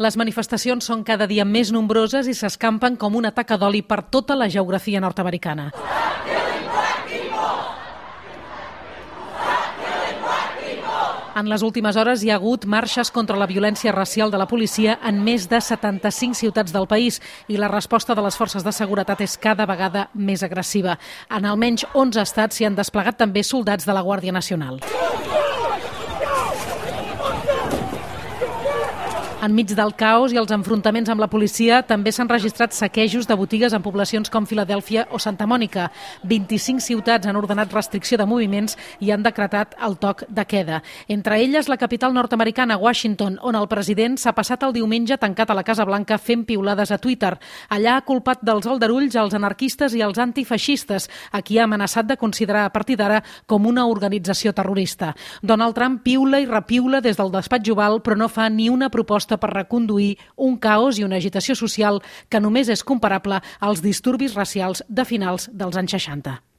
Les manifestacions són cada dia més nombroses i s'escampen com una taca d'oli per tota la geografia nord-americana. En les últimes hores hi ha hagut marxes contra la violència racial de la policia en més de 75 ciutats del país i la resposta de les forces de seguretat és cada vegada més agressiva. En almenys 11 estats s'hi han desplegat també soldats de la Guàrdia Nacional. Enmig del caos i els enfrontaments amb la policia també s'han registrat saquejos de botigues en poblacions com Filadèlfia o Santa Mònica. 25 ciutats han ordenat restricció de moviments i han decretat el toc de queda. Entre elles la capital nord-americana, Washington, on el president s'ha passat el diumenge tancat a la Casa Blanca fent piulades a Twitter. Allà ha culpat dels aldarulls als anarquistes i als antifeixistes, a qui ha amenaçat de considerar a partir d'ara com una organització terrorista. Donald Trump piula i repiula des del despatx Oval, però no fa ni una proposta per reconduir un caos i una agitació social que només és comparable als disturbis racials de finals dels anys 60.